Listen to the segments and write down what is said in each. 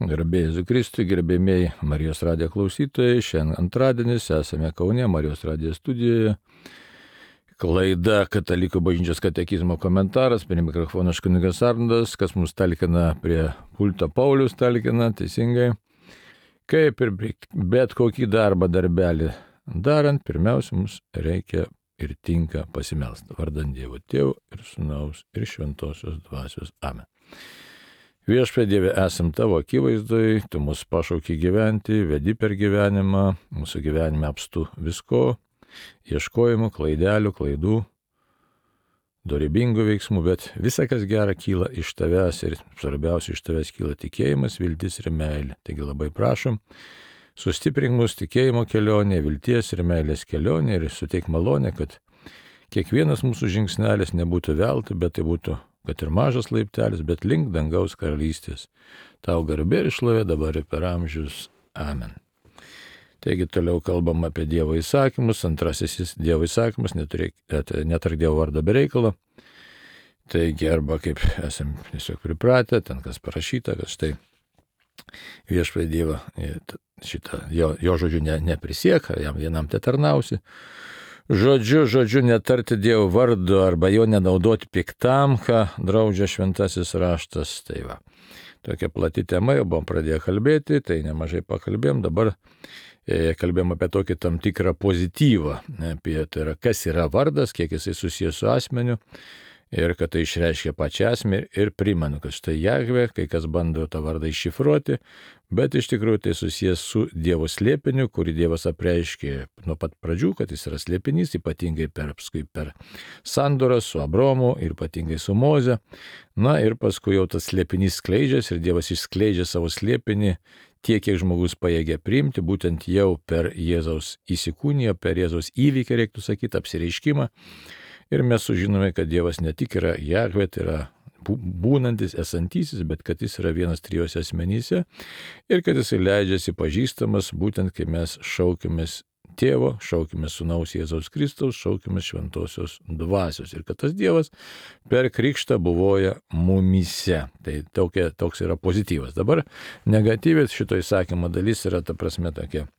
Garbėjai Jėzui Kristui, gerbėmėjai Marijos radijo klausytojai, šiandien antradienis, esame Kaune, Marijos radijo studijoje. Laida Katalikų bažnyčios katekizmo komentaras, prie mikrofono kunigas Arnoldas, kas mums talkina prie pulto Paulius talkina, teisingai. Kaip ir bet kokį darbelį darant, pirmiausia, mums reikia ir tinka pasimelsti. Vardant Dievo Tėvo ir Sūnaus ir Šventosios Dvasios. Amen. Viešpatie Dieve, esam tavo akivaizdoj, tu mus pašauki gyventi, vedi per gyvenimą, mūsų gyvenime apstu visko, ieškojimų, klaidelių, klaidų, dorybingų veiksmų, bet visa, kas gera, kyla iš tavęs ir svarbiausia iš tavęs kyla tikėjimas, viltis ir meilė. Taigi labai prašom, sustiprink mus tikėjimo kelionė, vilties ir meilės kelionė ir suteik malonę, kad kiekvienas mūsų žingsnelis nebūtų veltui, bet tai būtų, kad ir mažas laiptelis, bet link dangaus karalystės. Tau garbė ir šlovė dabar ir per amžius. Amen. Taigi toliau kalbam apie Dievo įsakymus. Antrasis Dievo įsakymas, netark Dievo vardo be reikalo. Taigi arba kaip esam tiesiog pripratę, ten kas parašyta, kad štai viešpatie Dievą šitą jo žodžiu neprisiek, jam vienam te tarnausi. Žodžiu netarti Dievo vardo arba jo nenaudoti piktam, ką draudžia šventasis raštas. Tai va, tokia plati tema, jau buvom pradėję kalbėti, tai nemažai pakalbėjom, dabar kalbėjom apie tokį tam tikrą pozityvą, apie tai yra, kas yra vardas, kiek jisai susijęs su asmeniu ir kad tai išreiškia pačią asmenį ir primenu, kad štai Jahve, kai kas bando tą vardą iššifruoti, bet iš tikrųjų tai susijęs su Dievo slėpiniu, kurį Dievas apreiškė nuo pat pradžių, kad jis yra slėpinys, ypatingai per sandorą su Abraomu ir ypatingai su Moze. Na ir paskui jau tas slėpinys skleidžiasi ir Dievas išskleidžia savo slėpinį tiek, kiek žmogus pajėgia priimti, būtent jau per Jėzaus įsikūniją, per Jėzaus įvykį, reiktų sakyti, apsireiškimą. Ir mes sužinome, kad Dievas ne tik yra Jahve, tai yra būnantis, esantysis, bet kad jis yra vienas trijose asmenyse ir kad jis leidžiasi pažįstamas, būtent kai mes šaukimės Tėvo, šaukimės Sūnaus Jėzaus Kristaus, šaukimės Šventosios Dvasios ir kad tas Dievas per krikštą buvoja mumyse. Tai toks yra pozityvas. Dabar negatyvės šito įsakymo dalis yra ta prasme tokia,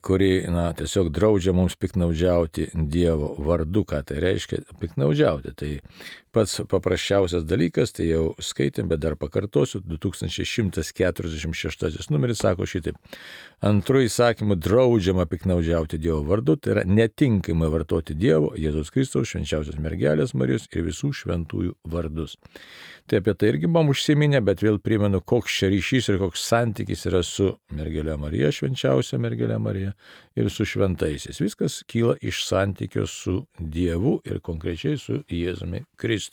kuri tiesiog draudžia mums piknaudžiauti Dievo vardu. Ką tai reiškia piknaudžiauti? Tai pats paprasčiausias dalykas, tai jau skaitėm, bet dar pakartosiu, 2146 numeris sako šitaip. Antru įsakymu draudžiama piknaudžiauti Dievo vardu, tai yra netinkamai vartoti Dievo, Jėzaus Kristaus, švenčiausios mergelės Marijos ir visų šventųjų vardus. Tai apie tai irgi buvom užsiminę, bet vėl primenu, koks čia ryšys ir koks santykis yra su mergelė Marija, švenčiausia mergelė Marija ir su šventaisiais. Viskas kyla iš santykio su Dievu ir konkrečiai su Jėzumi Kristumi.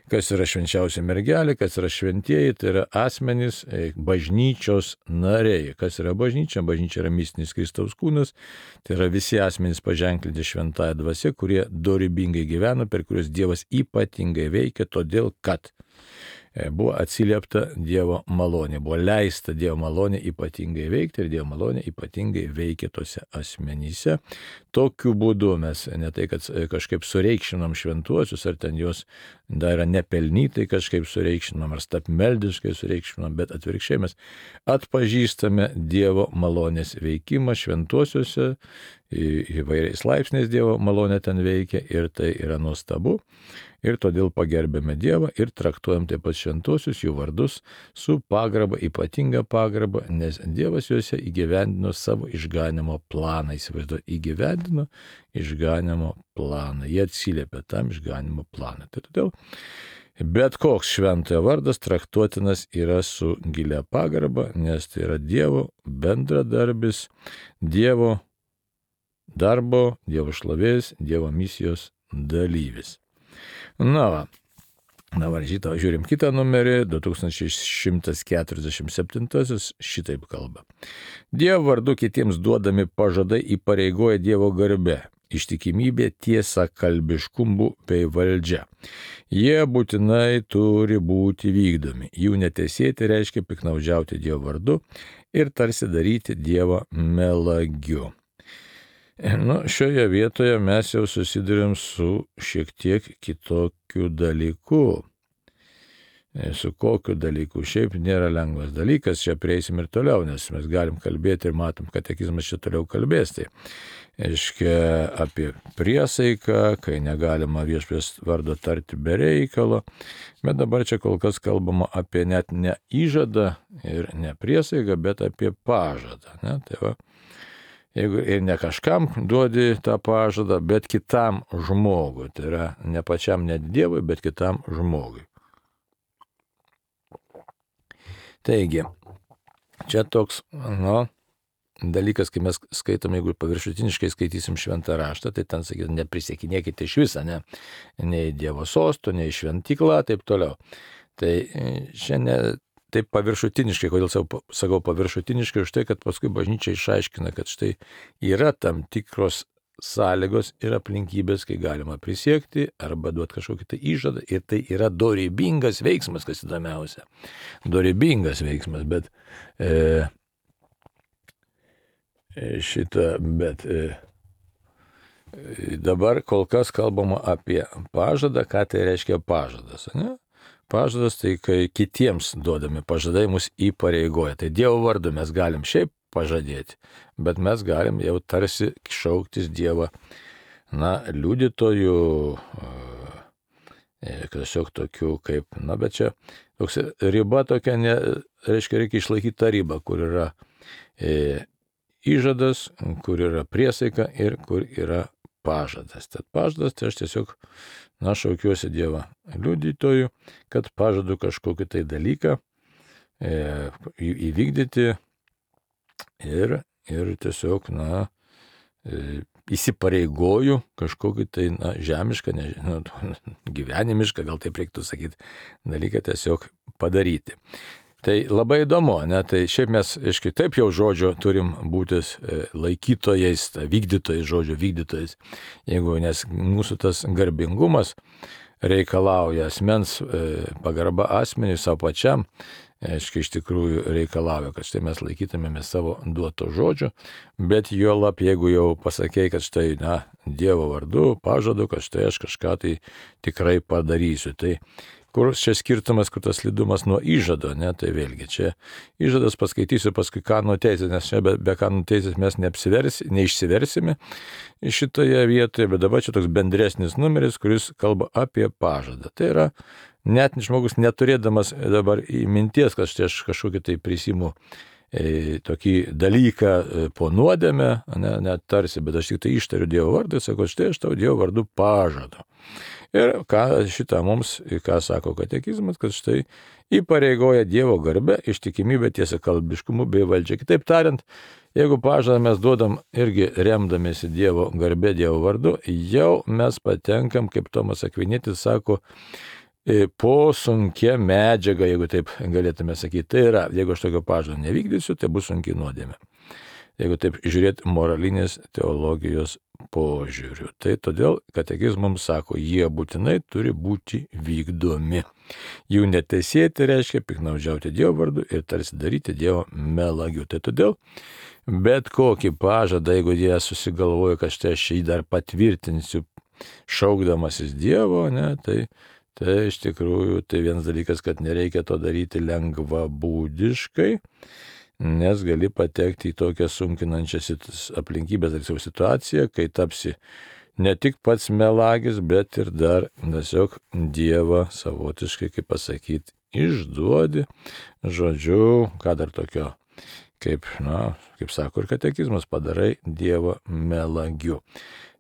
Kas yra švenčiausia mergelė, kas yra šventieji, tai yra asmenys bažnyčios nariai. Kas yra bažnyčia? Bažnyčia yra mistinis Kristaus kūnas, tai yra visi asmenys paženklinti šventąją dvasią, kurie dorybingai gyvena, per kuriuos Dievas ypatingai veikia, todėl kad buvo atsiliepta Dievo malonė, buvo leista Dievo malonė ypatingai veikti ir Dievo malonė ypatingai veikia tose asmenyse. Tokiu būdu mes ne tai, kad kažkaip sureikšinam šventuosius, ar ten juos dar yra nepelnytai kažkaip sureikšinam, ar stapmeldiškai sureikšinam, bet atvirkščiai mes atpažįstame Dievo malonės veikimą šventuosiuose, įvairiais laipsniais Dievo malonė ten veikia ir tai yra nuostabu. Ir todėl pagerbėme Dievą ir traktuojam taip pat šventuosius, jų vardus su pagarba, ypatinga pagarba, nes Dievas juose įgyvendino savo išganimo planą. Įgyvendino išganimo planą. Jie atsiliepia tam išganimo planą. Tai todėl bet koks šventojo vardas traktuotinas yra su gilia pagarba, nes tai yra Dievo bendradarbis, Dievo darbo, Dievo šlovės, Dievo misijos dalyvis. Dabar žiūrim kitą numerį, 2147, šitaip kalba. Dievo vardu kitiems duodami pažadai įpareigoja Dievo garbę, ištikimybė, tiesa, kalbiškumu bei valdžia. Jie būtinai turi būti vykdomi. Jų netesėti reiškia piknaudžiauti Dievo vardu ir tarsi daryti Dievą melagiu. Šioje vietoje mes jau susidurėm su šiek tiek kitokiu dalyku. su kokiu dalyku. Šiaip nėra lengvas dalykas, čia prieisim ir toliau, nes mes galim kalbėti ir matom, katekizmas čia toliau kalbės. Tai reiškia apie priesaiką, kai negalima viešpaties vardo tarti be reikalo, bet dabar čia kol kas kalbama apie net ne įžadą ir ne priesaiką, bet apie pažadą. Ne? Tai va, jeigu ir ne kažkam duodi tą pažadą, bet kitam žmogui, tai yra ne pačiam net Dievui, bet kitam žmogui. Taigi, čia toks, dalykas, kai mes skaitom, jeigu paviršutiniškai skaitysim šventą raštą, tai ten sakytum, neprisiekinėkite iš viso, nei Dievo sosto, nei šventykla, taip toliau. Tai šiandien taip paviršutiniškai, kodėl sakau paviršutiniškai, už tai, kad paskui bažnyčia išaiškina, kad štai yra tam tikros sąlygos ir aplinkybės, kai galima prisiekti arba duoti kažkokį tai įžadą, ir tai yra dorybingas veiksmas, kas įdomiausia. Dorybingas veiksmas, bet dabar kol kas kalbama apie pažadą, ką tai reiškia pažadas. Ne? Pažadas tai, kai kitiems duodami pažadai mus įpareigoja. Tai Dievo vardu mes galim šiaip pažadėti, bet mes galim jau tarsi šauktis Dievą, liudytojų, tiesiog tokių kaip, bet čia toks riba tokia, reiškia išlaikyti tą ribą, kur yra įžadas, kur yra priesaika ir kur yra pažadas. Tad pažadas, tai aš tiesiog, šaukiuosi Dievą liudytojų, kad pažadu kažkokį tai dalyką įvykdyti ir tiesiog, įsipareigoju kažkokį tai, žemišką, gyvenimišką, gal taip reiktų sakyti, dalyką tiesiog padaryti. Tai labai įdomu, tai šiaip mes, taip jau žodžio turim būti laikytojais, vykdytojais, žodžio vykdytojais, nes mūsų tas garbingumas reikalauja asmens pagarba asmeniui, savo pačiam, iš tikrųjų reikalauja, kad štai mes laikytumėme savo duoto žodžio, bet juolab, jeigu jau pasakei, kad štai, Dievo vardu pažadu, kad štai aš kažką tai tikrai padarysiu. Tai kur čia skirtumas, kur tas slidumas nuo įžado, tai vėlgi čia įžadas paskaitysiu paskui kanonų teisės, nes čia be kanonų teisės mes neišsiversime šitoje vietoje, bet dabar čia toks bendresnis numeris, kuris kalba apie pažadą. Tai yra net žmogus neturėdamas dabar minties, kad štai aš kažkokį tai prisimu tokį dalyką po nuodėmę, net tarsi, bet aš tik tai ištariu Dievo vardą ir sakau, štai aš tau Dievo vardu pažadu. Ir ką sako katekizmas, kad štai įpareigoja Dievo garbę, ištikimybę, tiesiakalbiškumu bei valdžia. Kitaip tariant, jeigu pažadą mes duodam irgi remdamėsi Dievo garbė, Dievo vardu, jau mes patenkam, kaip Tomas Akvinietis sako, po sunkia medžiaga, jeigu taip galėtume sakyti. Tai yra, jeigu aš tokio pažado nevykdysiu, tai bus sunki nuodėmė. Jeigu taip žiūrėti moralinės teologijos požiūriu. Tai todėl katekizmams sako, jie būtinai turi būti vykdomi. Jų neteisėti reiškia piknaudžiauti Dievo vardu ir tarsi daryti Dievo melagiu. Tai todėl bet kokį pažadą, jeigu jie susigalvoja, kad štai aš jį dar patvirtinsiu šaukdamasis Dievo, tai iš tikrųjų tai vienas dalykas, kad nereikia to daryti lengvabūdiškai, nes gali patekti į tokią sunkinančias aplinkybės ar situaciją, kai tapsi ne tik pats melagis, bet ir dar tiesiog Dievą savotiškai, kaip pasakyti, išduodi, žodžiu, ką dar tokio, kaip sako ir katekizmas, padarai Dievą melagiu.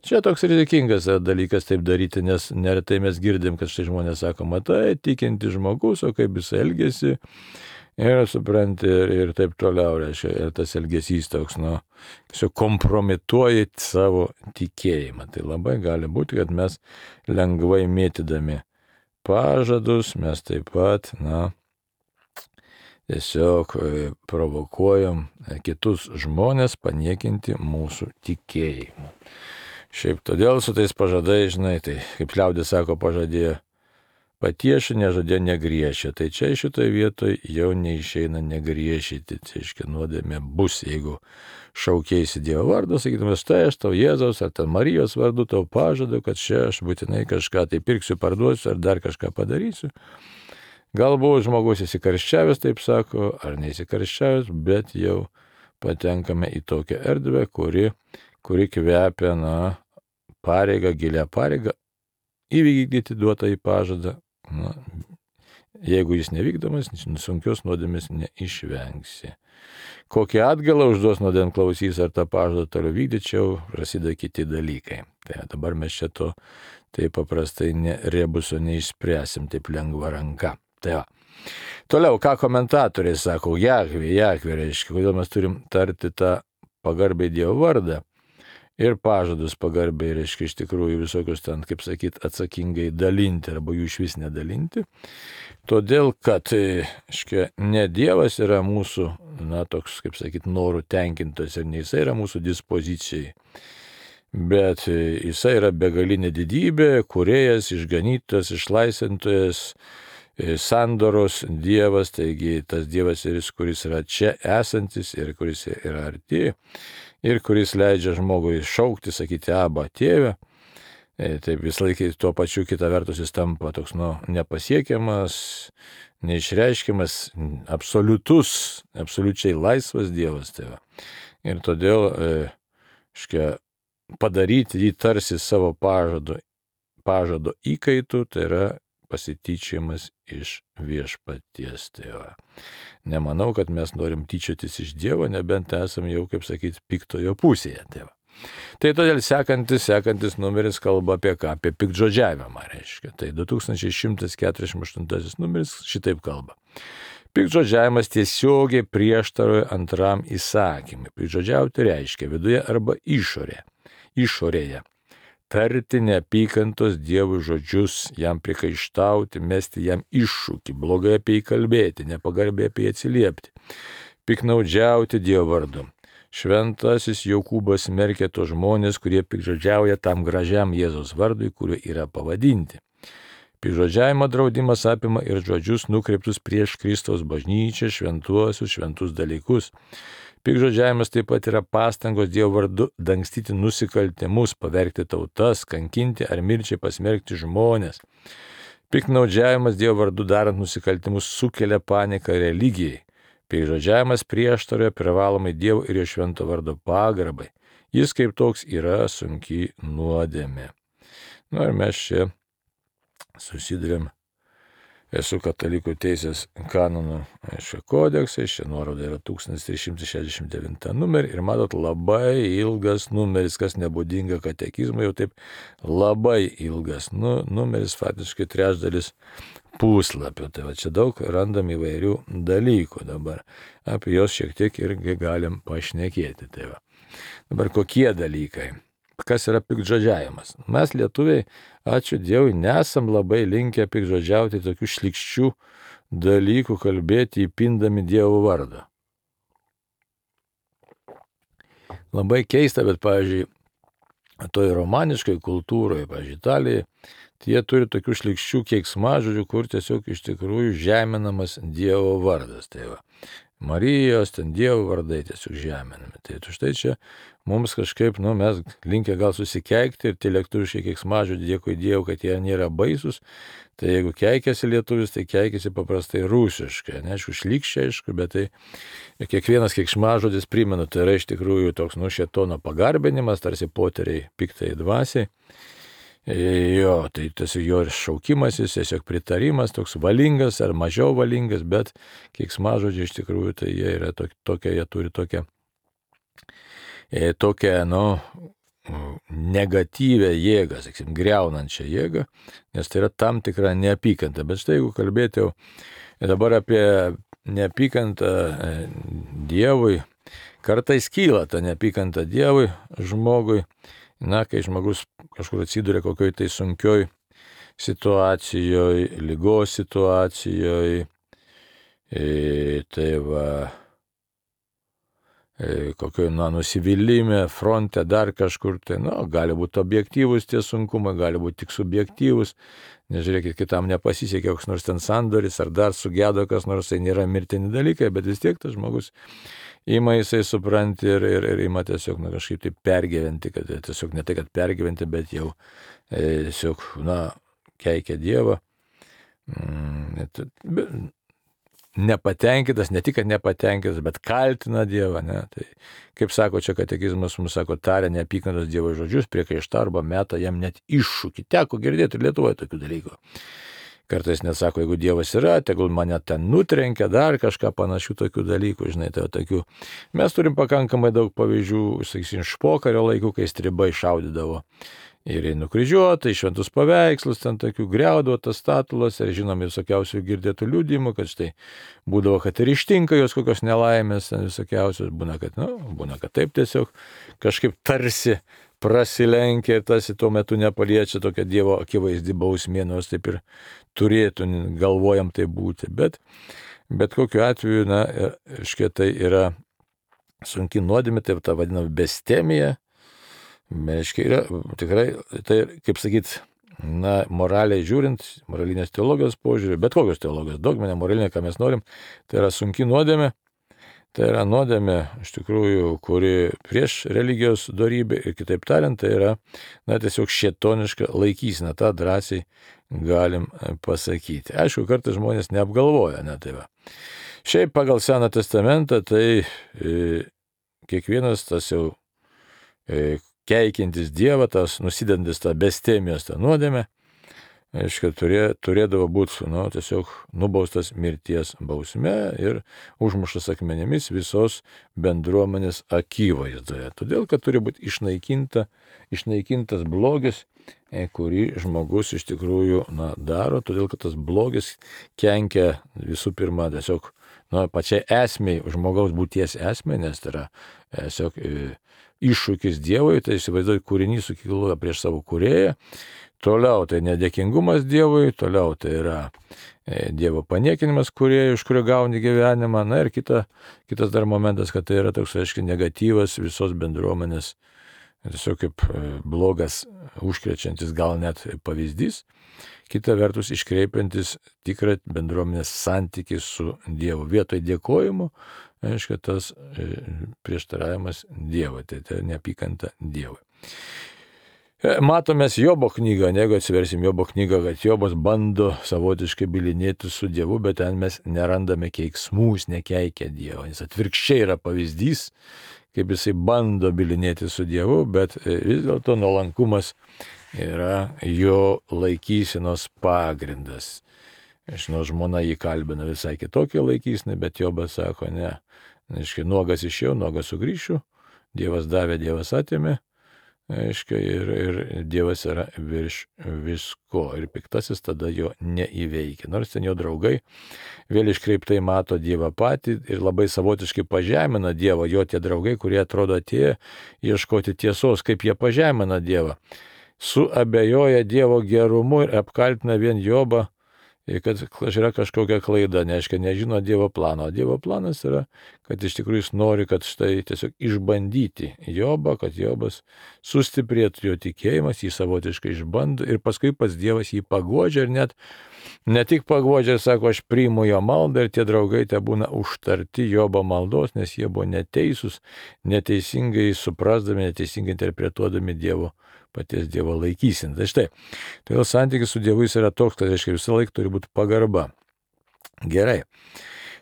Čia toks rizikingas dalykas taip daryti, nes neretai mes girdim, kad štai žmonės sako, matai, tikinti žmogus, o kaip jis elgesi, ir supranti, ir taip toliau, reiškia, ir tas elgesys toks, tiesiog kompromituoji savo tikėjimą. Tai labai gali būti, kad mes lengvai mėtydami pažadus, mes taip pat, tiesiog provokuojam kitus žmonės paniekinti mūsų tikėjimą. Šiaip todėl su tais pažadai, tai kaip liaudis sako, pažadėjo patieši, nežadė negriešė. Tai čia šitoje vietoje jau neišeina negriešyti. Tai reiškia, nuodėmė bus, jeigu šaukėsi Dievo vardą, sakytume, štai aš tau Jėzaus ar ten Marijos vardu tau pažadu, kad čia aš būtinai kažką tai pirksiu, parduosiu ar dar kažką padarysiu. Galbūt žmogus įsikarščiavęs, taip sako, ar neįsikarščiavęs, bet jau patenkame į tokią erdvę, kuri kvepia, pareigą, gilią pareigą, įvykdyti duotą į pažadą. Jeigu jis nevykdomas, sunkios nuodėmės neišvengsi. Kokią atgalą užduos nuodėmklausys ar tą pažadą toliau vykdyčiau, prasideda kiti dalykai. Tai dabar mes čia to taip paprastai rebusio neišspręsim taip lengva ranka. Tai va. Toliau, ką komentatoriai sako, Jahvė, reiškia, kodėl mes turim tarti tą pagarbiai Dievo vardą ir pažadus pagarbiai, reiškia, iš tikrųjų visokius ten, kaip sakyt, atsakingai dalinti arba jų iš vis nedalinti. Todėl, kad, reiškia, ne Dievas yra mūsų, toks, kaip sakyt, norų tenkintojas ir ne jisai yra mūsų dispozicijai. Bet jisai yra begalinė didybė, kūrėjas, išganytojas, išlaisvintojas, sandoros Dievas, taigi tas Dievas ir jis, kuris yra čia esantis ir kuris yra arti ir kuris leidžia žmogui šaukti, sakyti, Abba, tėve. Taip vis laikai tuo pačiu kita vertus jis tampa toks, nepasiekiamas, neišreiškiamas, absoliučiai laisvas Dievas. Tai va. Ir todėl, padaryti jį tarsi savo pažado įkaitų, tai yra pasityčiamas iš viešpaties. Tai va. Nemanau, kad mes norim tyčiotis iš Dievo, nebent esame jau, kaip sakyti, piktojo pusėje. Tai va. Tai todėl sekantis numeris kalba apie ką? Apie piktžodžiavimą, reiškia. Tai 2148 numeris šitaip kalba. Piktžodžiavimas tiesiogiai prieštaroja antram įsakymui. Piktžodžiauti reiškia viduje arba išorėje. Tarti neapykantos Dievui žodžius, jam prikaištauti, mesti jam iššūkį, blogai apie jį kalbėti, nepagarbiai apie jį atsiliepti, piknaudžiauti Dievo vardu. Šventasis Jokūbas smerkia tos žmonės, kurie piktžodžiauja tam gražiam Jėzaus vardui, kuriuo yra pavadinti. Piktžodžiavimo draudimas apima ir žodžius nukreiptus prieš Kristaus bažnyčią, šventus dalykus. Piktžodžiavimas taip pat yra pastangos Dievo vardu dangstyti nusikaltimus, pavergti tautas, kankinti ar mirčiai pasmerkti žmonės. Piktnaudžiavimas Dievo vardu darant nusikaltimus sukelia paniką religijai. Piktžodžiavimas prieštaroja privalomai Dievo ir jo švento vardo pagarbai. Jis kaip toks yra sunki nuodėmė. Ir mes čia susidurėm su katalikų teisės kanonų kodeksai, čia nuoroda yra 1369 numerį ir matot labai ilgas numeris, kas nebūdinga katekizmui, jau taip labai ilgas numeris, faktiškai trečdalis puslapio. Tai va čia daug randam įvairių dalykų dabar, apie juos šiek tiek irgi galim pašnekėti. Tai va. Dabar kokie dalykai? Kas yra piktžodžiavimas? Mes lietuviai, ačiū Dievui, nesam labai linkę piktžodžiauti tokių šlykščių dalykų, kalbėti įpindami Dievo vardą. Labai keista, bet, pavyzdžiui, toj romaniškai kultūroje, pavyzdžiui, Italijoje, tai jie turi tokių šlykščių keiksmažodžių, kur tiesiog iš tikrųjų žeminamas Dievo vardas. Tai va. Marijos, ten Dievo vardai tiesiog žeminami. Tai štai čia mums kažkaip, mes linkę gal susikeikti ir tie lietuviškai keiksmažodžiai, dėkui Dievui, kad jie nėra baisus. Tai jeigu keikiasi lietuvis, tai keikiasi paprastai rusiškai. Neaišku, šlykščiai, aišku, bet tai kiekvienas keiksmažodis primena, tai yra iš tikrųjų toks šėtono pagarbinimas, tarsi poteriai piktai dvasiai. Jo, tai tiesiog jo šaukimasis, tiesiog pritarimas, toks valingas ar mažiau valingas, bet keiksmažodžiai iš tikrųjų tai jie yra tokia, jie turi tokią negatyvę jėgą, sakysim, griaunančią jėgą, nes tai yra tam tikra neapykanta. Bet štai jeigu kalbėti jau dabar apie neapykantą Dievui, kartais kyla ta neapykanta Dievui žmogui, kai žmogus kažkur atsiduria kokioj tai sunkioj situacijoje, lygos situacijoje, tai va, kokioj nusivylimė, fronte, dar kažkur, tai gali būti objektyvus tie sunkumai, gali būti tik subjektyvus, nežiūrėkit, kitam nepasisekė koks nors ten sandoris, ar dar sugedo kas nors, tai nėra mirtini dalykai, bet vis tiek tas žmogus ima jisai supranti ir ima tiesiog kažkaip tai pergyventi, kad tiesiog ne tai, kad pergyventi, bet jau tiesiog, keikia Dievą. nepatenkintas, ne tik, kad nepatenkintas, bet kaltina Dievą. Ne? Tai, kaip sako čia katekizmas, mums sako, taria neapykantos Dievo žodžius, priekaištą arba meta jam net iššūkį. Teko girdėti ir Lietuvoje tokių dalykų. Kartais net sako, jeigu Dievas yra, tegul mane ten nutrenkia, dar kažką panašių tokių dalykų, žinai, tai tokių. Mes turim pakankamai daug pavyzdžių, sakysim, iš pokario laikų, kai stribai šaudydavo. Ir nukryžiuota, į šventus paveikslus, ten tokių griaudavo tas statulas, ir žinom visokiausių girdėtų liudijimų, kad štai būdavo, kad ir ištinka jos kokios nelaimės, ten visokiausios, būna, kad taip tiesiog kažkaip tarsi prasilenkia ir tarsi tuo metu nepaliečia tokia Dievo akivaizdi bausmė, nors taip ir turėtų, galvojam tai būti. Bet kokiu atveju, tai yra sunki nuodėmė, tai ta vadinama bestemija. Yra tikrai, tai kaip sakyt, moraliai žiūrint, moralinės teologijos požiūrį, bet kokios teologijos, dogminė, moralinė, ką mes norim, tai yra sunki nuodėmė, tai yra nuodėmė, iš tikrųjų, kuri prieš religijos dorybę ir kitaip tariant, tai yra, tiesiog šėtoniška laikysena, tą drąsiai galim pasakyti. Aišku, kartais žmonės neapgalvoja, tai va. Šiaip pagal Seną testamentą, tai kiekvienas tas jau keikiantis Dievą, tas nusidantis tą bestemijos tą nuodėmę, turėdavo būti tiesiog nubaustas mirties bausme ir užmuštas akmenėmis visos bendruomenės akivaizdoje. Todėl, kad turi būti išnaikintas blogis, kurį žmogus iš tikrųjų daro, todėl, kad tas blogis kenkia visų pirma tiesiog pačiai esmei, žmogaus būties esmei, nes tai yra tiesiog iššūkis Dievui, tai įsivaizduoju, kūrinys sukyla prieš savo kūrėją, toliau tai nedėkingumas Dievui, toliau tai yra Dievo paniekinimas kūrėjui, iš kurio gauni gyvenimą, ir kitas dar momentas, kad tai yra toks, aiškiai, negatyvas visos bendruomenės, tiesiog kaip blogas, užkrečiantis gal net pavyzdys, kita vertus iškreipiantis tikrą bendruomenės santykį su Dievu. Vietoj dėkojimo, aiškiai, tas prieštaravimas Dievui, tai neapykanta Dievui. Matome Jobo knygą, jeigu atsiversim Jobo knygą, kad Jobas bando savotiškai bylinėti su Dievu, bet ten mes nerandame keiksmų, jis nekeikia Dievo. Jis atvirkščiai yra pavyzdys, kaip jisai bando bylinėti su Dievu, bet vis dėlto nuolankumas yra jo laikysenos pagrindas. Žinau, žmona jį kalbina visai kitokią laikyseną, bet Jobas sako, ne, nuogas išėjau, nuogas sugrįšiu, Dievas davė, Dievas atėmė, ir Dievas yra virš visko, ir piktasis tada jo neįveikia. Nors ten jo draugai vėl iškreiptai mato Dievą patį ir labai savotiškai pažemina Dievą, jo tie draugai, kurie atrodo atėjo ieškoti tiesos, kaip jie pažemina Dievą. Suabejoja Dievo gerumu ir apkaltina vien Jobą, kad yra kažkokia klaida, nežino Dievo plano. Dievo planas yra, kad iš tikrųjų jis nori, kad štai tiesiog išbandyti Jobą, kad Jobas sustiprėtų jo tikėjimas, jį savotiškai išbando ir paskui pats Dievas jį paguodžia ir net ne tik paguodžia, sako, aš priimu jo maldą ir tie draugai te būna užtarti Jobo maldos, nes jie buvo neteisūs, neteisingai suprasdami, neteisingai interpretuodami paties Dievo laikyseną. Tai štai, todėl santykis su Dievu jis yra toks, kad visą laiką turi būti pagarba. Gerai.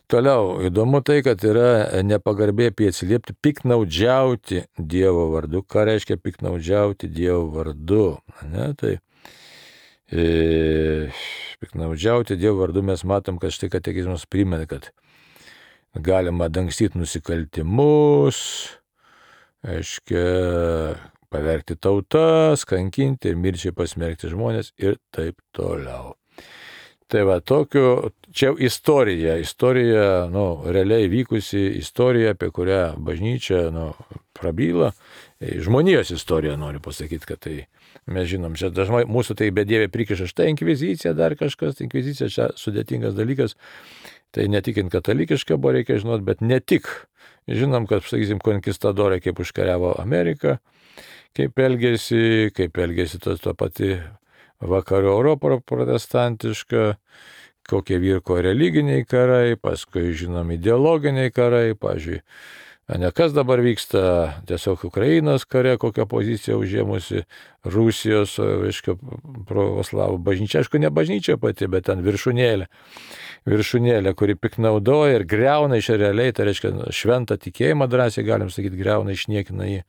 Toliau, įdomu tai, kad yra nepagarbiai apie atsiliepti, piknaudžiauti Dievo vardu. Ką reiškia piknaudžiauti Dievo vardu? Tai piknaudžiauti Dievo vardu mes matom, kad štai katekizmas primena, kad galima dangstyti nusikaltimus, pavergti tautas, kankinti ir mirčiai pasmerkti žmonės ir taip toliau. Tai va, čia jau istorija, realiai vykusi istorija, apie kurią bažnyčia, prabyla, žmonijos istorija noriu pasakyti, kad tai mes žinom, čia dažnai mūsų tai bedievė prikiša štai inkvizicija, dar kažkas, inkvizicija čia sudėtingas dalykas, tai ne tik katalikiška buvo, reikia žinoti, bet ne tik. Žinom, kad, sakysim, konkistadorai kaip užkariavo Ameriką, kaip elgėsi to pati vakarų Europą protestantiška, kokie vyko religiniai karai, paskui žinom ideologiniai karai, pavyzdžiui, Ne kas dabar vyksta, tiesiog Ukrainos kare, kokią poziciją užėmusi Rusijos, reiškia, pravoslavų bažnyčia, aišku, ne bažnyčia pati, bet ten viršūnėlė, kuri piknaudoja ir greuna iš realiai, tai reiškia, šventą tikėjimą drąsiai, galim sakyti, greuna, išniekina jį.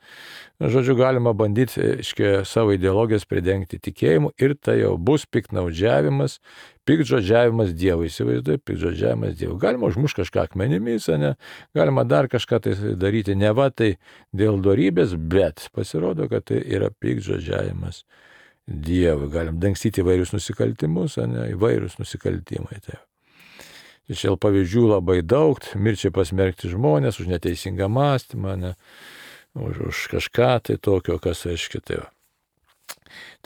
Žodžiu, galima bandyti, reiškia, savo ideologijas pridengti tikėjimu ir tai jau bus piknaudžiavimas, piktžodžiavimas Dievui, įsivaizduoju, piktžodžiavimas Dievui. Galima užmušti kažką akmenimis, ne? Galima dar kažką tai daryti, ne va tai dėl dorybės, bet pasirodo, kad tai yra piktžodžiavimas Dievui. Galim dangstyti įvairius nusikaltimus, ne? Įvairius nusikaltimai. Tai. Čia pavyzdžių labai daug, mirčiai pasmerkti žmonės už neteisingą mąstymą, ne? Už kažką tai tokio, kas reiškia tai.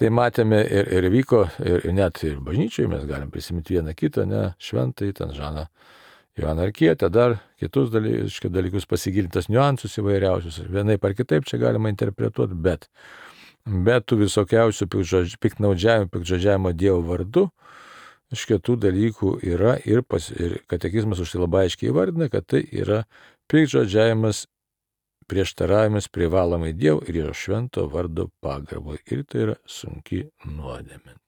Tai matėme ir vyko, ir net ir bažnyčioje mes galim prisiminti vieną kitą, ne, šventai, ten Žaną Joaną Arkietę, dar kitus dalykus pasigilintas niuansus įvairiausius. Vienaip ar kitaip čia galima interpretuoti, bet tų visokiausių piktnaudžiavimo Dievo vardu, tų dalykų yra ir katekizmas už tai labai aiškiai įvardina, kad tai yra piktžodžiavimas, prieštaravimas privalomai Dievo ir jo švento vardo pagarbui. Ir tai yra sunki nuodėmė.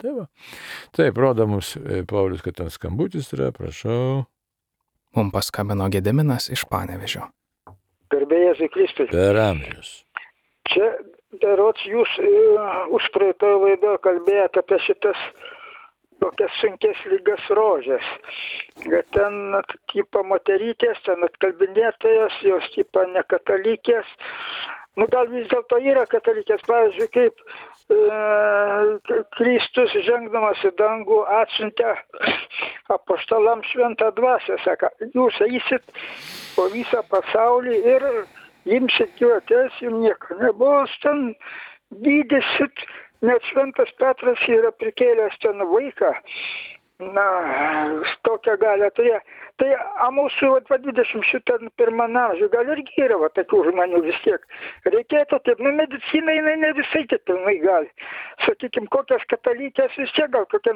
Taip, rodo mums Paulius, kad ten skambutis yra, prašau. Mums paskambino Gediminas iš Panevėžio. Garbė Jėzui Kristui. Per amžius. Čia, berods, jūs užpraeitoje laidoje kalbėjote apie šitas tokias sunkės lygas rožės. Bet ten, tipo, moterytės, ten atkalbinėtojas, jos, tipo, nekatalikės. Nu, gal vis dėlto yra katalikės, pavyzdžiui, kaip Kristus žengdamas į dangų atsiuntė apaštalam šventą dvasią, sako, jūs eisit po visą pasaulį ir imsit juotės, jums nieko nebus, ten gydysit. Net šventas Petras yra prikėlęs ten vaiką, na, tokią galę turėjo. Tai mūsų 21 amžiuje gal irgi yra tokių žmonių vis tiek. Reikėtų taip, nu, medicina jinai ne visai taip pilnai gali. Sakykime, kokias katalikės vis tiek gal kokia,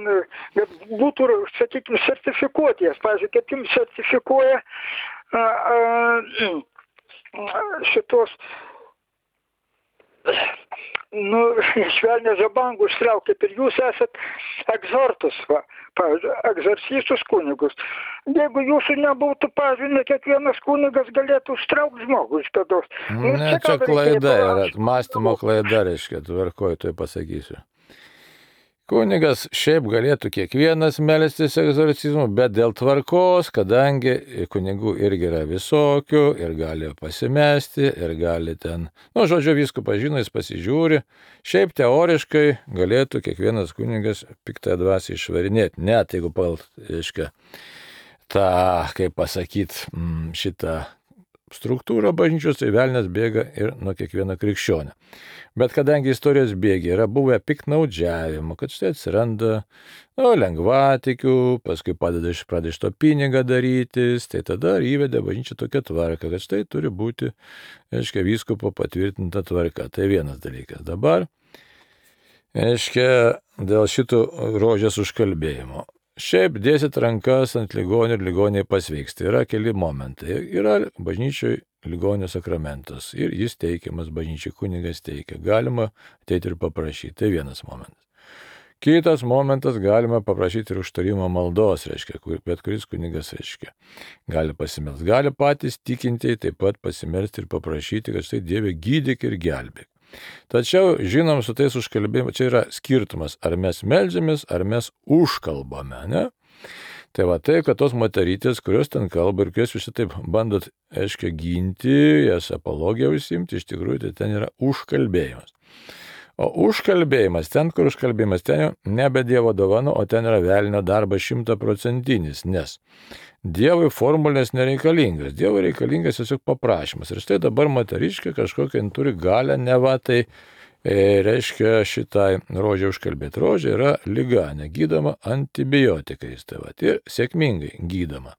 būtų, sakykime, sertifikuoties. Pavyzdžiui, kaip jums sertifikuoja šitos... Nu, švelnė žabangų ištraukė, ir jūs esat egzortus, pavyzdžiui, egzorcistus kunigus. Jeigu jūsų nebūtų, pavyzdžiui, ne kiekvienas kunigas galėtų užtraukti žmogų iš pėdos. Nu, ne, čia klaida yra, mąstymo klaida, reiškia, tvarkoj, tai pasakysiu. Kunigas šiaip galėtų kiekvienas melstis egzorcizmu, bet dėl tvarkos, kadangi kunigų irgi yra visokių ir gali pasimesti, ir gali ten, nu, žodžiu, vyskupas žino, jis pasižiūri, šiaip teoriškai galėtų kiekvienas kunigas piktąją dvasią išvarinėti, net jeigu reiškia, tą, kaip pasakyti, šitą struktūrą bažnyčios, tai velnias bėga ir nuo kiekvieno krikščionio. Bet kadangi istorijos bėgiai yra buvę piktnaudžiavimo, kad štai atsiranda lengvatikių, paskui pradeda iš to pinigą darytis, tai tada įvedė bažnyčia tokią tvarką, kad štai turi būti, reiškia, vyskupo patvirtinta tvarka. Tai vienas dalykas. Dabar, reiškia, dėl šito rožės užkalbėjimo. Šiaip dėsit rankas ant ligonių ir ligoniai pasveiks. Tai yra keli momentai. Yra bažnyčioj ligonio sakramentas ir jis teikiamas bažnyčiai, kunigas teikia. Galima ateiti ir paprašyti. Tai vienas momentas. Kitas momentas, galima paprašyti ir užtarimo maldos, reiškia, bet kuris kunigas, reiškia, gali pasimelsti. Gali patys tikintieji taip pat pasimelsti ir paprašyti, kad štai Dieve gydyk ir gelbėk. Tačiau, žinom, su tais užkalbėjimu, čia yra skirtumas, ar mes meldžiamės, ar mes užkalbame, ne? Tai va tai, kad tos moterytės, kurios ten kalba ir kurios visi taip bandot, aiškiai, ginti, jas apologiją užsimti, iš tikrųjų, tai ten yra užkalbėjimas. O užkalbėjimas, ten, kur užkalbėjimas, ten jau nebe Dievo dovana, o ten yra velnio darbas 100%, nes Dievui formulės nereikalingas, Dievui reikalingas tiesiog paprašymas. Ir štai dabar moteriškė kažkokią turi galę, ne va tai reiškia šitai rožė užkalbėti. Rožė yra liga, negydoma antibiotikais, tai va, ir sėkmingai gydoma.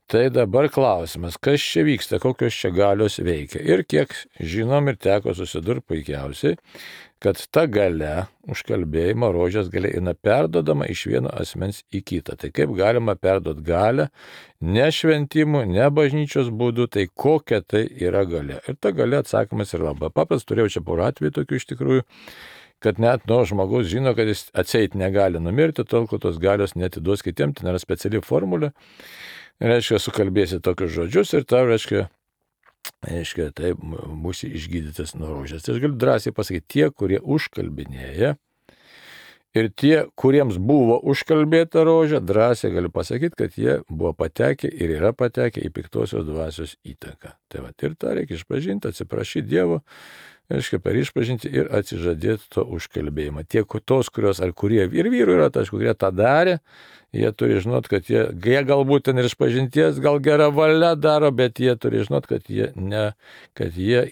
Tai dabar klausimas, kas čia vyksta, kokios čia galios veikia. Ir kiek žinom ir teko susidurti puikiausiai, kad ta galia, užkalbėjimo rožės galia yra perdodama iš vieno asmens į kitą. Tai kaip galima perduoti galę, ne šventimų, ne bažnyčios būdų, tai kokia tai yra galia. Ir ta galia atsakymas yra labai paprastas, turėjau čia porą atvejų tokių iš tikrųjų, kad net žmogus žino, kad jis atseit negali numirti, tol kol tos galios netiduos kitiem, tai nėra speciali formulė. Reiškia, sukalbėsi tokius žodžius ir tau, reiškia, taip, būsi išgydytas nuo rožės. Tai aš galiu drąsiai pasakyti, tie, kurie užkalbinėja ir tie, kuriems buvo užkalbėta rožė, drąsiai galiu pasakyti, kad jie buvo patekę ir yra patekę į piktosios dvasios įtaką. Tai va, ir tą reikia išpažinti, atsiprašyti Dievo, reiškia, per išpažinti ir atsižadėti to užkalbėjimą. Tie, tos, kurios ar kurie ir vyrų yra, tai kurie tą darė, jie turi žinot, kad jie galbūt ten ir išpažinties, gal gera valia daro, bet jie turi žinot, kad jie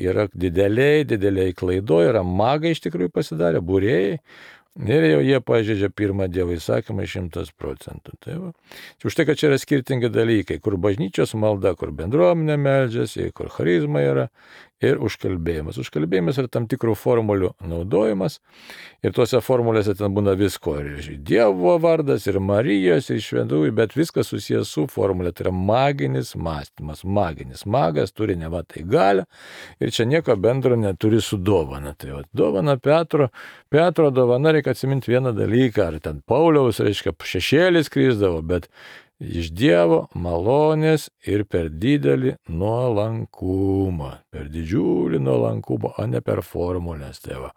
yra dideliai klaidoje, yra magai iš tikrųjų pasidarę, būrėjai. Ir jau jie pažeidžia pirmą Dievo įsakymą 100%. Tai va. Už tai, kad čia yra skirtingi dalykai, kur bažnyčios malda, kur bendruomenė meldžiasi, kur charizma yra ir užkalbėjimas. Užkalbėjimas yra tam tikrų formulių naudojimas ir tuose formulėse ten būna visko. Ir Dievo vardas, ir Marijos, ir šventųjų, bet viskas susijęs su formulė. Tai yra maginis mąstymas. Magas turi ne va tai galią ir čia nieko bendro neturi su dovana. Tai va, dovana Petro dovana reikia atsiminti vieną dalyką. Ar ten Pauliaus, reiškia, šešėlis krisdavo, bet iš Dievo malonės ir per didelį nuolankumą, per didžiulį nuolankumą, o ne per formulės. Tai va.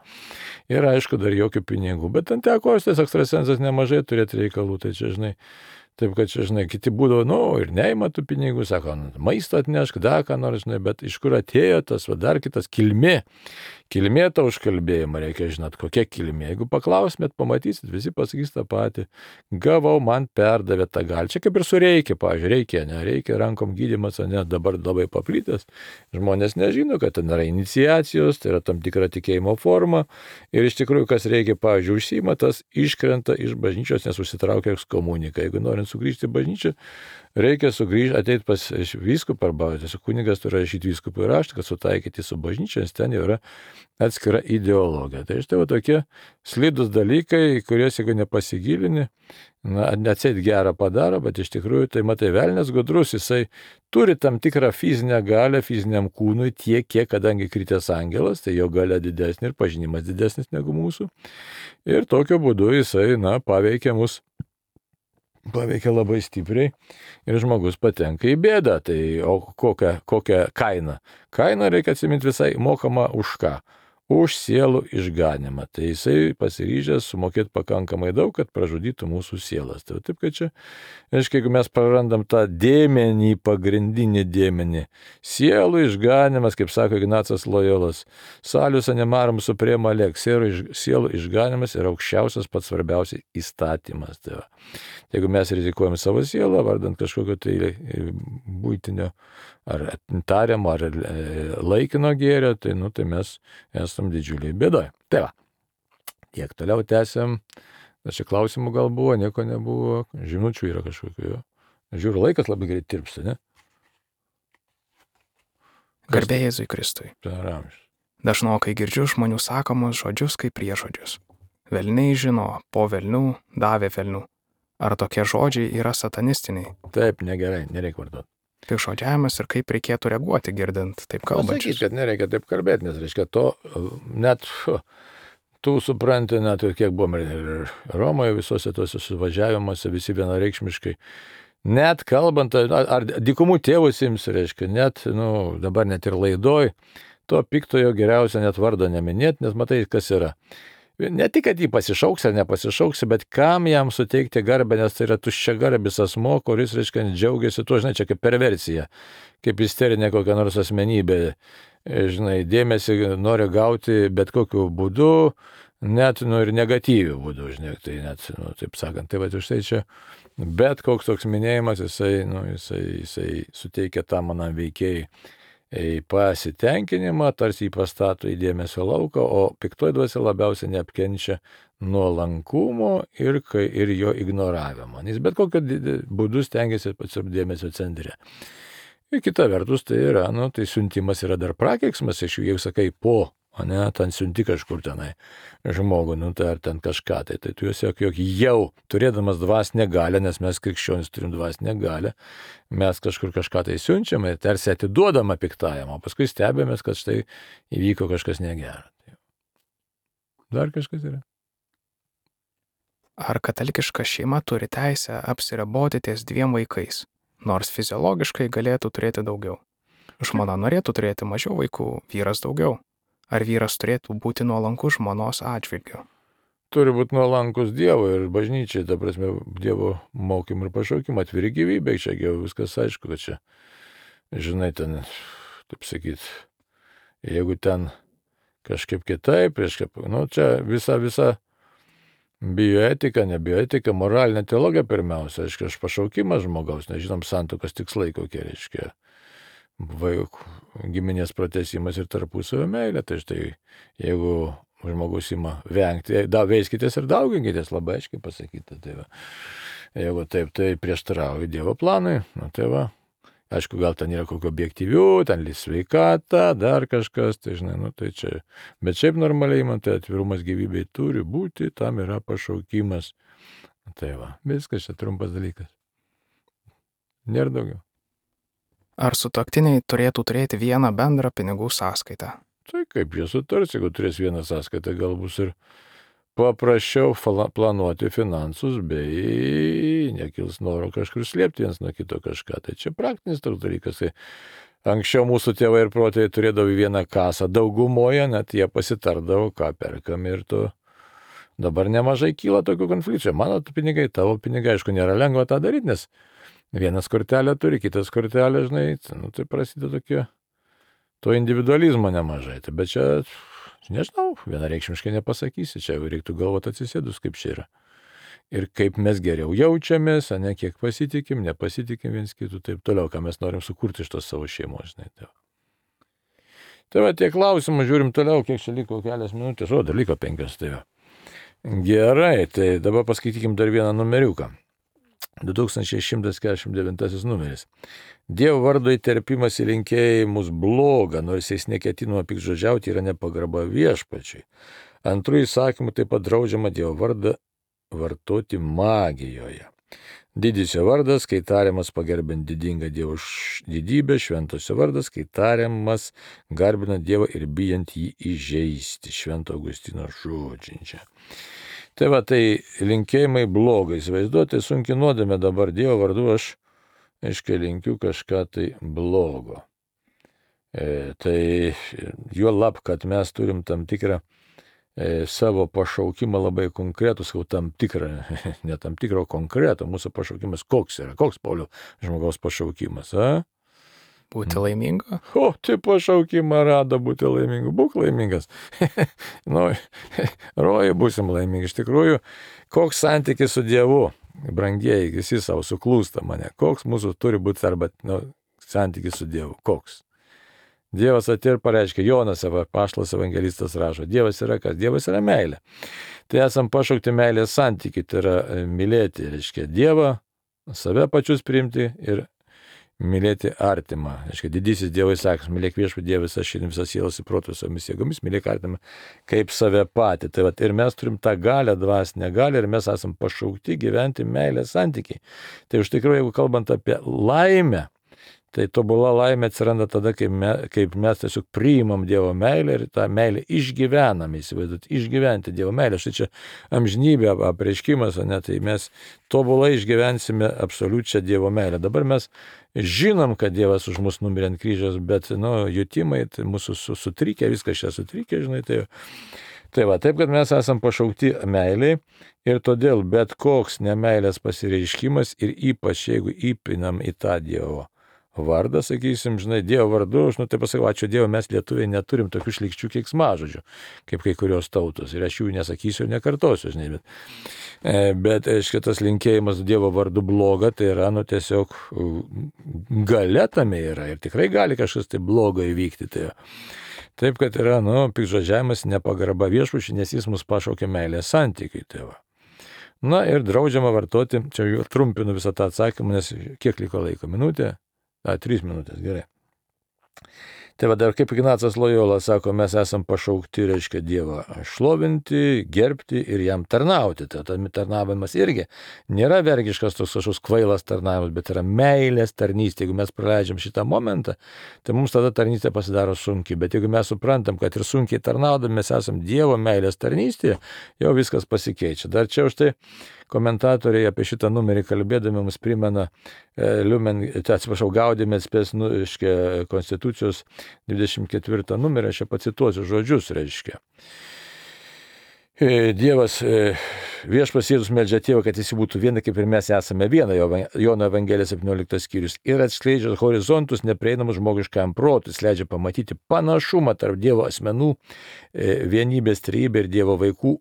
Ir aišku, dar jokių pinigų, bet ant teko tas ekstrasensas nemažai turėti reikalų, tai čia, žinai, taip, kad čia, žinai, kiti būdavo, ir neima tų pinigų, sako, maistą atnešk, dar ką nors, žinai, bet iš kur atėjo tas, va, dar kitas kilmė tą užkalbėjimą, reikia žinot, kokia kilmė. Jeigu paklausmėt, pamatysit, visi pasakys tą patį, gavau, man perdavė tą galį. Čia kaip ir su reikia, pavyzdžiui, reikia rankom gydymas, o ne dabar labai paplytęs. Žmonės nežino, kad ten yra iniciacijos, tai yra tam tikra tikėjimo forma ir iš tikrųjų, kas reikia, pavyzdžiui, užsiima, tas iškrenta iš bažnyčios, nes užsitraukia ekskomuniką. Jeigu norint sugrįžti į bažnyčią, reikia ateiti pas vyskupą arba tiesiog kunigas turi rašyti vyskupui raštą, kad sutaikyti su bažnyčia, nes ten jau yra atskira ideologija. Tai štai va tokie slidus dalykai, kuriuos jeigu nepasigilini, atseit gerą padaro, bet iš tikrųjų tai matai, velnias gudrus, jisai turi tam tikrą fizinę galią fiziniam kūnui tiek, kiek kadangi kritęs angelas, tai jo galia didesnė ir pažinimas didesnis negu mūsų. Ir tokiu būdu jisai, paveikia mus. Paveikia labai stipriai ir žmogus patenka į bėdą. Tai o kokia kaina? Kaina reikia atsiminti visai mokama už ką? Už sielų išganimą. Tai jisai pasiryžęs sumokėti pakankamai daug, kad pražudytų mūsų sielas. Tai taip, kad čia, aiškiai, jeigu mes prarandam tą dėmenį, pagrindinį dėmenį, sielų išganimas, kaip sako Ignacas Lojolas, salius animarum suprema lex, sielų išganimas yra aukščiausias pats svarbiausias įstatymas. Tai va. Jeigu mes rizikuojam savo sielą, vardant kažkokio tai būtinio ar tariamo, ar laikino gėrio, tai, tai mes esam didžiuliai bėdoje. Tai va, tiek toliau tęsiam. Čia klausimų gal buvo, nieko nebuvo, žinučių yra kažkokių. Žiūriu, laikas labai greit tirpsta, ne? Garbė Jėzui Kristui. Dažnokai girdžiu žmonių sakomus žodžius kaip priežodžius. Velniai žino, po velnių davė velnių. Ar tokie žodžiai yra satanistiniai? Taip, negerai, nereikia vartoti. Pikžodžiavimas ir kaip reikėtų reaguoti girdint taip kalbančius. Pasakyti, kad nereikia taip kalbėti, nes reiškia to, net tu supranti, net kiek buvome ir Romoje visose tose suvažiavimuose, visi vienareikšmiškai, net kalbant, ar dykumų tėvus ims, reiškia, net, dabar net ir laidoj, to piktojo geriausia net vardo neminėti, nes matai, kas yra. Ne tik, kad jį pasišauksi ar nepasišauksi, bet kam jam suteikti garbę, nes tai yra tuščiagarbis asmo, kuris, reiškia, džiaugiasi tuo, žinai, čia kaip perversija, kaip isterinė kokia nors asmenybė, žinai, dėmesį nori gauti bet kokiu būdu, net ir negatyviu būdu, žinai, tai net, taip sakant, tai va, štai čia, bet koks toks minėjimas, jisai suteikia tam manam veikėjai pasitenkinimą, tarsi jį pastato į dėmesio lauką, o piktoji dvasia labiausiai neapkenčia nuolankumo ir jo ignoravimo. Jis bet kokiu būdu stengiasi pats dėmesio centre. Ir kita vertus tai yra, tai siuntimas yra dar prakeiksmas, jeigu sakai po, o ne, ten siunti kažkur tenai žmogų, tai ar ten kažką, tai tu jog jau turėdamas dvasinę galią, nes mes krikščionys turim dvasinę galią, mes kažkur kažką tai siunčiame ir tarsi atiduodama piktajam, o paskui stebėmės, kad štai įvyko kažkas negera. Dar kažkas yra. Ar katalikiška šeima turi teisę apsiriboti ties 2 vaikais, nors fiziologiškai galėtų turėti daugiau? Žmona norėtų turėti mažiau vaikų, vyras daugiau. Ar vyras turėtų būti nuolankus žmonos atžvilgiu? Turi būti nuolankus Dievui ir bažnyčiai, ta prasme, Dievo mokymų ir pašaukimų, atviri gyvybei, čia jau viskas aišku, kad čia, žinai, ten, taip sakyt, jeigu ten kažkaip kitaip, čia visa bioetika, nebioetika, moralinė teologija pirmiausia, aišku, pašaukimas žmogaus, nežinom santuokos tikslai kokie, reiškia, giminės pratęsimas ir tarpusavio meilė, tai štai, jeigu žmogus ima vengti, veiskitės ir dauginkitės, labai aiškiai pasakyta, tai va, jeigu taip, tai prieštarauja Dievo planui, tai va, aišku, gal ten yra kokio objektyvių, ten sveikata, dar kažkas, tai žinai, tai čia, bet šiaip normaliai, tai atvirumas gyvybei turi būti, tam yra pašaukimas, tai va, viskas čia trumpas dalykas, nėra daugiau. Ar sutuoktiniai turėtų turėti vieną bendrą pinigų sąskaitą? Tai kaip jie sutars, jeigu turės vieną sąskaitą, gal bus ir paprasčiau planuoti finansus, bei nekils noro kažkur slėpti vienas nuo kito kažką. Tai čia praktinis toks dalykas. Tai anksčiau mūsų tėvai ir protėviai turėdavo vieną kasą daugumoje, net jie pasitardavo, ką perkam ir dabar nemažai kyla tokių konfliktų. Mano pinigai, tavo pinigai, aišku, nėra lengva tą daryti, nes vienas kortelę turi, kitas kortelę, žinai, tai prasideda tokie, to individualizmo nemažai. Tai bet čia, nežinau, vienareikšmiškai nepasakysi, čia reiktų galvoti atsisėdus, kaip čia yra. Ir kaip mes geriau jaučiamės, ne kiek pasitikim, nepasitikim viens kitų, taip toliau, ką mes norim sukurti iš tos savo šeimos, žinai. Tai va, tie klausimai, žiūrim toliau, kiek čia liko, kelias minutės, dar liko 5, tai va. Gerai, tai dabar paskaitykim dar vieną numeriuką. 2149 numeris. Dievo vardo įterpimas į linkėjimus bloga, nors jis neketinama piktžodžiauti, yra nepagarba viešpačiui. Antrų įsakymų taip pat draudžiama Dievo vardą vartoti magijoje. Didysio vardas, kai tariamas pagerbint didingą Dievo didybę, šventosio vardas, kai tariamas garbinant Dievą ir bijant jį įžeisti. Švento Augustino žodžiai. Tai va, tai linkėjimai blogai, įsivaizduoti, sunkiai nuodėmė dabar Dievo vardu, aš linkiu kažką tai blogo. Tai juolab, kad mes turim tam tikrą savo pašaukimą labai konkretų, tam tikrą, ne tam tikrą, konkretų, mūsų pašaukimas koks yra, koks Pauliaus žmogaus pašaukimas, Būti laimingu? O, tai pašaukimą rado būti laimingu. Būk laimingas. Rojai būsim laimingi. Iš tikrųjų, koks santykis su Dievu, brangieji, visi savo suklūsta mane. Koks mūsų turi būti arba santykis su Dievu. Koks? Dievas atėjo ir pareiškė, Jonas, apaštalas evangelistas rašo, Dievas yra kas? Dievas yra meilė. Tai esam pašaukti meilės santykį, tai yra mylėti, reiškia Dievą, save pačius priimti ir mylėti artimą. Reiškia, didysis Dievo įsakymas, mylėk viešpatį Dievą visą širdį, visas sielas ir protus visomis jėgomis, mylėk artimą kaip save patį. Tai va, ir mes turim tą galią, dvasinę galią, ir mes esam pašaukti gyventi meilės santykiai. Tai iš tikrųjų, jeigu kalbant apie laimę, tai tobula laimė atsiranda tada, kaip mes tiesiog priimam Dievo meilę ir tą meilę išgyvename, įsivaizduoti, išgyventi Dievo meilę. Štai čia amžinybė apreiškimas, tai mes tobulai išgyvensime absoliučią Dievo meilę. Dabar mes žinom, kad Dievas už mus numirė ant kryžiaus, bet, jutimai, tai mūsų sutrikę, viskas čia sutrikę, žinai, tai va, taip, kad mes esam pašaukti meiliai ir todėl bet koks nemeilės pasireiškimas ir ypač jeigu įpinam į tą Dievo vardą, sakysim, žinai, Dievo vardu, tai pasakau, ačiū Dievui, mes lietuviai neturim tokių šlykščių keiksmažodžių, kaip kai kurios tautos, ir aš jų nesakysiu ir nekartosiu, žinai, bet šitas linkėjimas Dievo vardu bloga, tai yra, tiesiog galia tame yra, ir tikrai gali kažkas tai blogo įvykti, Taip, kad yra, piktžodžiavimas, nepagarba viešpačiui, nes jis mus pašaukė meilės santykiui, tai va. Na ir draudžiama vartoti, čia jau trumpinu visą tą atsakymą, nes kiek liko laiko, minutė? 3 minutės, gerai. Tai va dar kaip Ignacas Lojola sako, mes esam pašaukti, reiškia, Dievą šlovinti, gerbti ir jam tarnauti. Tai tarnavimas irgi nėra vergiškas toks kažkoks kvailas tarnavimas, bet yra meilės tarnystė. Jeigu mes praleidžiam šitą momentą, tai mums tada tarnystė pasidaro sunkiai. Bet jeigu mes suprantam, kad ir sunkiai tarnaudami mes esam Dievo meilės tarnystėje, jau viskas pasikeičia. Dar čia už tai komentatoriai apie šitą numerį kalbėdami mums primena Gaudėmės spės Konstitucijos 24 numerį, aš čia pacituosiu žodžius, reiškia. Dievas, viešpats Jėzus meldžia Tėvą, kad jis būtų viena, kaip ir mes esame viena, Jono Evangelijos 17 skyrius, ir atskleidžia horizontus neprieinamus žmogiškam protui, leidžia pamatyti panašumą tarp Dievo asmenų, vienybės trejybė ir Dievo vaikų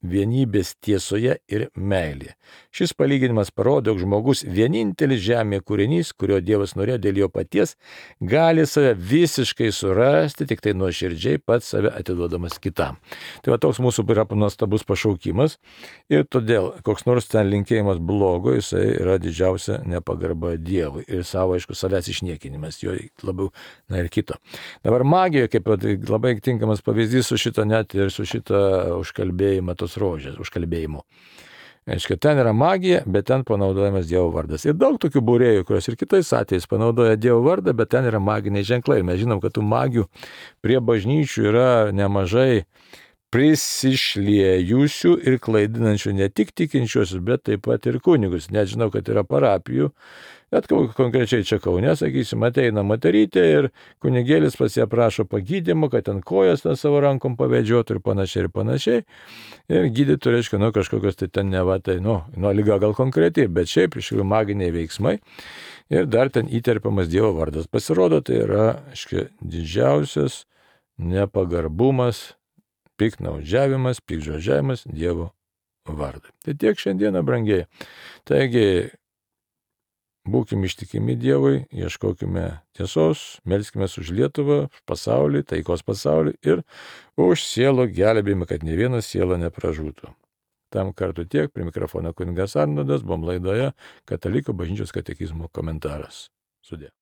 vienybės tiesoje ir meilėje. Šis palyginimas parodo, jog žmogus vienintelis žemėje kūrinys, kurio Dievas norėjo dėl jo paties, gali save visiškai surasti, tik tai nuoširdžiai pats save atiduodamas kitam. Tai va toks mūsų yra nuostabus pašaukimas ir todėl koks nors ten linkėjimas blogo, jisai yra didžiausia nepagarba Dievui ir savo, aišku, savęs išniekinimas, jo labiau, ir kito. Dabar magija, kaip labai tinkamas pavyzdys su šito net ir su šito užkalbėjimo tos rožės, užkalbėjimu. Aiškiai, ten yra magija, bet ten panaudojamas Dievo vardas. Ir daug tokių būrėjų, kurios ir kitais atvejais panaudoja Dievo vardą, bet ten yra maginiai ženklai. Ir mes žinom, kad tų magijų prie bažnyčių yra nemažai prisišliejusių ir klaidinančių ne tik tikinčiuosius, bet taip pat ir kunigus. Net žinau, kad yra parapijų, bet konkrečiai čia Kaune, sakysim, ateina moterytė ir kunigėlis pas ją prašo pagydymo, kad ten kojas savo rankom pavedžiotų ir panašiai. Ir gydytų, reiškia, kažkokios tai ten neva, tai, liga gal konkretiai, bet šiaip iš tikrųjų maginiai veiksmai. Ir dar ten įterpiamas Dievo vardas. Pasirodo, tai yra, aiškiai, didžiausias nepagarbumas, piktnaudžiavimas, piktžodžiavimas Dievo vardui. Tai tiek šiandieną, brangiai. Taigi, būkime ištikimi Dievui, ieškokime tiesos, melskime už Lietuvą, pasaulį, taikos pasaulį ir už sielų gelbėjimą, kad ne viena siela nepražūtų. Tam kartu tiek, prie mikrofono kunigas Arnoldas, buvom laidoje Katalikų bažnyčios katekizmo komentaras. Sudie.